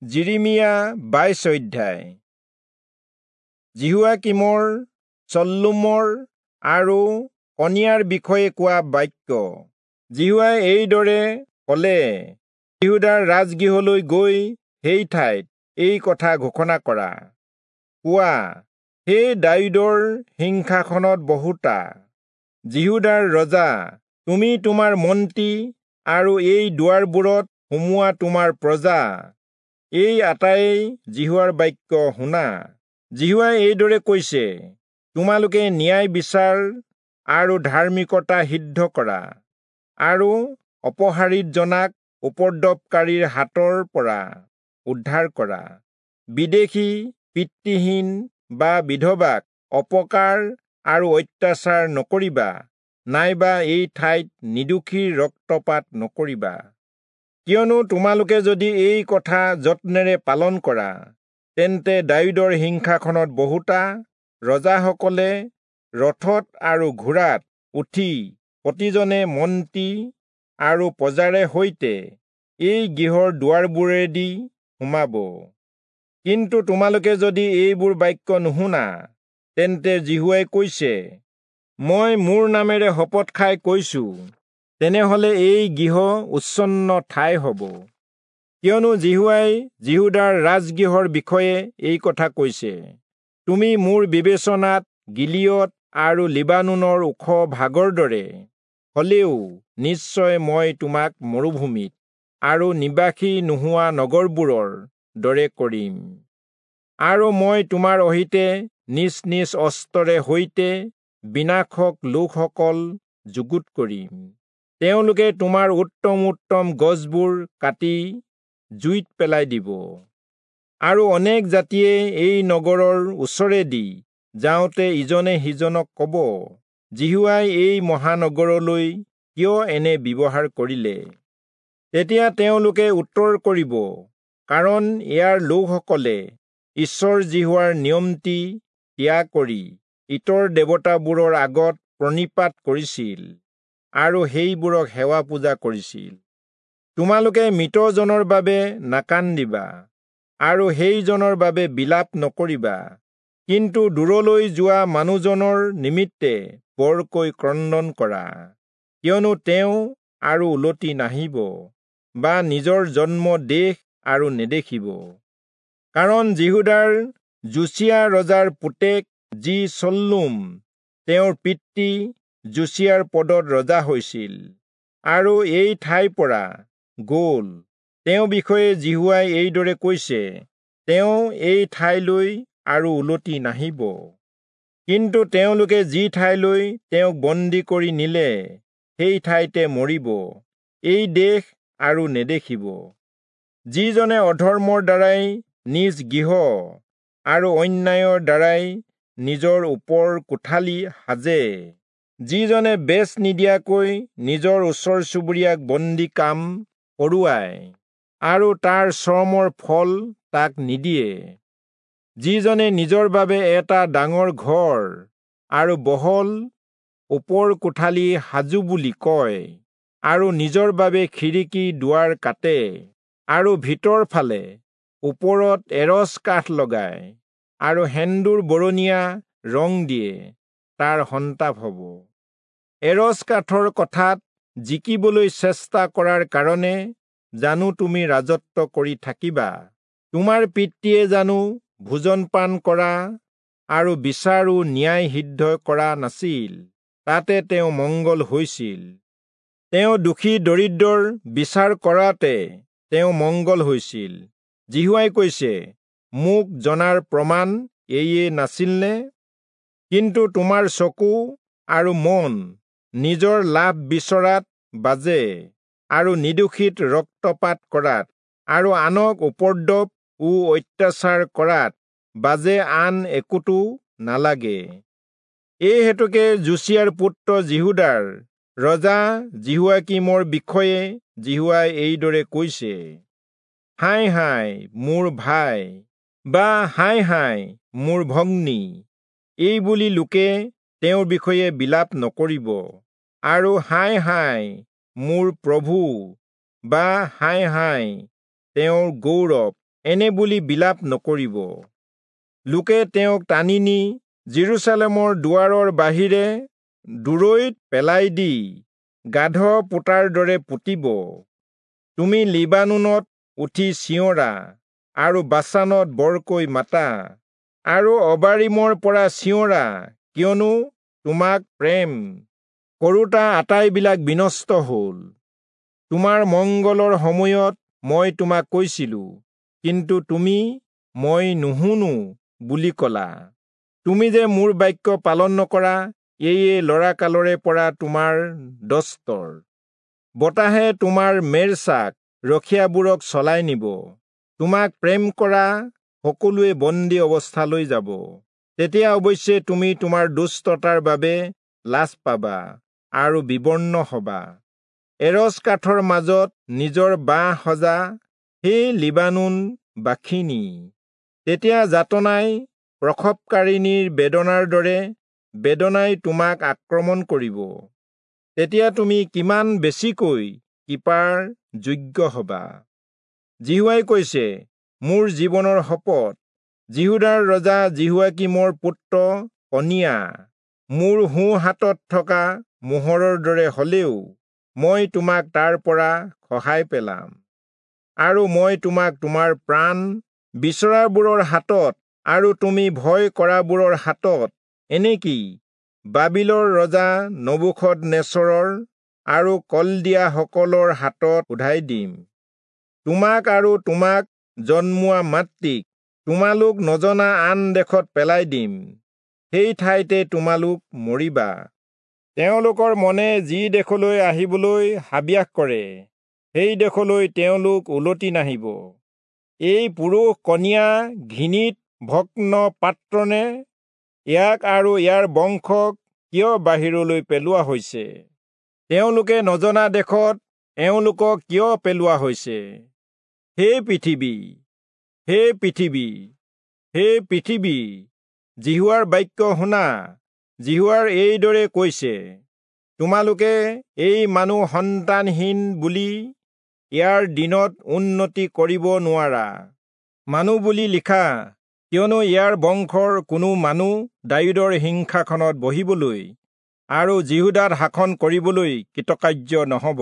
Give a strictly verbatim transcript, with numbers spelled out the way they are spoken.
যিৰিমিয়া বাইশ অধ্যায়। যিহোৱাকীমৰ, চল্লুমৰ আৰু কনিয়াৰ বিষয়ে কোৱা বাক্য। যিহোৱাই এইদৰে কলে, যিহূদাৰ ৰাজগৃহলৈ গৈ সেই ঠাইত এই কথা ঘোষণা কৰা, কোৱা, হে দায়ূদৰ সিংহাসনত বহোতা যিহূদাৰ ৰজা, তুমি তোমাৰ মন্ত্ৰী আৰু এই দুৱাৰবোৰত সোমোৱা তোমাৰ প্ৰজা, এই আটায়ে যিহোৱাৰ বাক্য শুনা। যিহোৱাই এইদৰে কৈছে, তোমালোকে ন্যায় বিচাৰ আৰু ধাৰ্মিকতা সিদ্ধ কৰা আৰু অপহাৰিত জনাক উপদ্ৰৱকাৰীৰ হাতৰ পৰা উদ্ধাৰ কৰা, বিদেশী, পিতৃহীন বা বিধৱাক অপকাৰ আৰু অত্যাচাৰ নকৰিবা, নাইবা এই ঠাইত নিৰ্দোষীৰ ৰক্তপাত নকৰিবা। কিয়নো তোমালোকে যদি এই কথা যত্নেৰে পালন কৰা, তেন্তে দায়ূদৰ সিংহাসনত বহোতা ৰজাসকলে ৰথত আৰু ঘোঁৰাত উঠি প্ৰতিজনে মন্ত্ৰী আৰু প্ৰজাৰে সৈতে এই গৃহৰ দুৱাৰবোৰেদি সোমাব। কিন্তু তোমালোকে যদি এইবোৰ বাক্য নুশুনা, তেন্তে যিহোৱাই কৈছে, মই মোৰ নামেৰে শপত খাই কৈছো, তেনেহলে এই গৃহ উচ্ছন্ন ঠাই হ'ব। কিয়নো যিহোৱাই যিহূদাৰ ৰাজগৃহৰ বিষয়ে এই কথা কৈছে, তুমি মোৰ বিবেচনাত গিলিয়দ আৰু লিবানোনৰ ওখ ভাগৰ দৰে হলেও নিশ্চয় মই তোমাক মৰুভূমিত আৰু নিবাসী নোহোৱা নগৰবোৰৰ দৰে কৰিম। আৰু মই তোমাৰ অহিতে নিজ নিজ অস্ত্ৰৰে সৈতে বিনাশক লোকসকল যুগুত কৰিম। তেওঁলোকে তোমাৰ উত্তম উত্তম গছবোৰ কাটি জুইত পেলাই দিব। আৰু অনেক জাতিয়ে এই নগৰৰ ওচৰেদি যাওঁতে ইজনে সিজনক কব, যিহোৱাই এই মহানগৰলৈ কিয় এনে ব্যৱহাৰ কৰিলে? তেতিয়া তেওঁলোকে উত্তৰ কৰিব, কাৰণ ইয়াৰ লোকসকলে ঈশ্বৰ যিহোৱাৰ নিয়মটি ত্যাগ কৰি ইতৰ দেৱতাবোৰৰ আগত প্ৰণিপাত কৰিছিল আৰু সেইবোৰক সেৱা পূজা কৰিছিল। তোমালোকে মৃতজনৰ বাবে নাকান্দিবা আৰু সেইজনৰ বাবে বিলাপ নকৰিবা, কিন্তু দূৰলৈ যোৱা মানুহজনৰ নিমিত্তে বৰকৈ ক্ৰন্দন কৰা, কিয়নো তেওঁ আৰু উলটি নাহিব বা নিজৰ জন্ম দেশ আৰু নেদেখিব। কাৰণ যিহূদাৰ যোচিয়া ৰজাৰ পুতেক যি চল্লুম, তেওঁৰ পিতৃ যোচিয়াৰ পদত ৰজা হৈছিল আৰু এই ঠাইৰ পৰা গ'ল, তেওঁ বিষয়ে যিহোৱাই এইদৰে কৈছে, তেওঁ এই ঠাইলৈ আৰু উলটি নাহিব। কিন্তু তেওঁলোকে যি ঠাইলৈ তেওঁক বন্দী কৰি নিলে, সেই ঠাইতে মৰিব, এই দেশ আৰু নেদেখিব। যিজনে অধৰ্মৰ দ্বাৰাই নিজ গৃহ আৰু অন্যায়ৰ দ্বাৰাই নিজৰ ওপৰ কোঠালি সাজে, যিজনে বেচ নিদিয়াকৈ নিজৰ ওচৰ চুবুৰীয়াক বন্দী কাম কৰোৱায় আৰু তাৰ শ্ৰমৰ ফল তাক নিদিয়ে, যিজনে নিজৰ বাবে এটা ডাঙৰ ঘৰ আৰু বহল ওপৰ কোঠালি সাজু বুলি কয় আৰু নিজৰ বাবে খিৰিকী দুৱাৰ কাটে আৰু ভিতৰ ফালে ওপৰত এৰচ কাঠ লগায় আৰু সেন্দুৰ বৰণীয়া ৰং দিয়ে, তাৰ সন্তাপ হ'ব। এৰচ কাঠৰ কথাত জিকিবলৈ চেষ্টা কৰাৰ কাৰণে জানো তুমি ৰাজত্ব কৰি থাকিবা? তোমাৰ পিতৃয়ে জানো ভোজন পান কৰা আৰু বিচাৰো ন্যায় সিদ্ধ কৰা নাছিল? তাতে তেওঁ মংগল হৈছিল। তেওঁ দুখী দৰিদ্ৰৰ বিচাৰ কৰাতে তেওঁ মংগল হৈছিল। যিহোৱাই কৈছে, মোক জনাৰ প্ৰমাণ এয়ে নাছিলনে? কিন্তু তোমাৰ চকু আৰু মন নিজৰ লাভ বিচৰাত বাজে আৰু নিৰ্দোষীত ৰক্তপাত কৰাত আৰু আনক উপদ্ৰৱ ও অত্যাচাৰ কৰাত বাজে আন একোতো নালাগে। এই হেতুকে যোচিয়াৰ পুত্ৰ যিহূদাৰ ৰজা যিহোৱাকীমৰ বিষয়ে যিহোৱাই এইদৰে কৈছে, হায় হায় মোৰ ভাই, বা হায় হায় মোৰ ভগ্নী, এই বুলি লোকে তেওঁৰ বিষয়ে বিলাপ নকৰিব, আৰু হায় হায় মোৰ প্ৰভু, বা হায় হায় তেওঁৰ গৌৰৱ, এনে বুলি বিলাপ নকৰিব। লোকে তেওঁক টানি নি যিৰূচালেমৰ দুৱাৰৰ বাহিৰে দূৰৈত পেলাই দি গাধ পোতাৰ দৰে পুতিব। তুমি লিবানোনত উঠি চিঞৰা আৰু বাচানত বৰকৈ মাতা আৰু অবাৰিমৰ পৰা চিঞৰা, কিয়নো তোমাক প্ৰেম কৰোঁতা আটাইবিলাক বিনষ্ট হ'ল। তোমাৰ মংগলৰ সময়ত মই তোমাক কৈছিলো, কিন্তু তুমি মই নুশুনো বুলি কলা। তুমি যে মোৰ বাক্য পালন নকৰা, এয়ে ল'ৰাকালৰে পৰা তোমাৰ দস্তৰ। বতাহে তোমাৰ মেৰছাক ৰখীয়াবোৰক চলাই নিব। তোমাক প্ৰেম কৰা সকলোৱে বন্দী অৱস্থালৈ যাব। তেতিয়া অৱশ্যে তুমি তোমাৰ দুষ্টতাৰ বাবে লাজ পাবা আৰু বিবৰ্ণ হবা। এৰচ কাঠৰ মাজত নিজৰ বাঁহ সজা সেই লিবানোন বাসিনী, তেতিয়া যাতনাই প্ৰসৱকাৰিণীৰ বেদনাৰ দৰে বেদনাই তোমাক আক্ৰমণ কৰিব। তেতিয়া তুমি কিমান বেছিকৈ কৃপাৰ যোগ্য হবা। যিহোৱাই কৈছে, মোৰ জীৱনৰ শপত, যিহূদাৰ ৰজা যিহোৱাকীমৰ পুত্ৰ কনিয়া মোৰ সোঁ হাতত থকা মোহৰৰ দৰে হলেও মই তোমাক তাৰ পৰা খহাই পেলাম, আৰু মই তোমাক তোমাৰ প্ৰাণ বিচৰাবোৰৰ হাতত আৰু তুমি ভয় কৰাবোৰৰ হাতত, এনেকি বাবিলৰ ৰজা নবূখদনেচৰৰ আৰু কলদিয়াসকলৰ হাতত শোধাই দিম। তোমাক আৰু তোমাক জন্মোৱা মাতৃক তোমালোক নজনা আন দেশত পেলাই দিম, সেই ঠাইতে তোমালোক মৰিবা। তেওঁলোকৰ মনে যি দেশলৈ আহিবলৈ হাবিয়াস কৰে, সেই দেশলৈ তেওঁলোক উলটি নাহিব। এই পুৰুষ কনিয়া ঘৃণিত ভগ্ন পাত্ৰনে? ইয়াক আৰু ইয়াৰ বংশক কিয় বাহিৰলৈ পেলোৱা হৈছে? তেওঁলোকে নজনা দেশত এওঁলোকক কিয় পেলোৱা হৈছে? হে পৃথিৱী, হে পৃথিৱী, হে পৃথিৱী, যিহোৱাৰ বাক্য শুনা। যিহোৱাৰ এইদৰে কৈছে, তোমালোকে এই মানুহ সন্তানহীন বুলি ইয়াৰ দিনত উন্নতি কৰিব নোৱাৰা মানুহ বুলি লিখা, কিয়নো ইয়াৰ বংশৰ কোনো মানুহ দায়ূদৰ সিংহাসনত বহিবলৈ আৰু যিহূদাত শাসন কৰিবলৈ কৃতকাৰ্য নহব।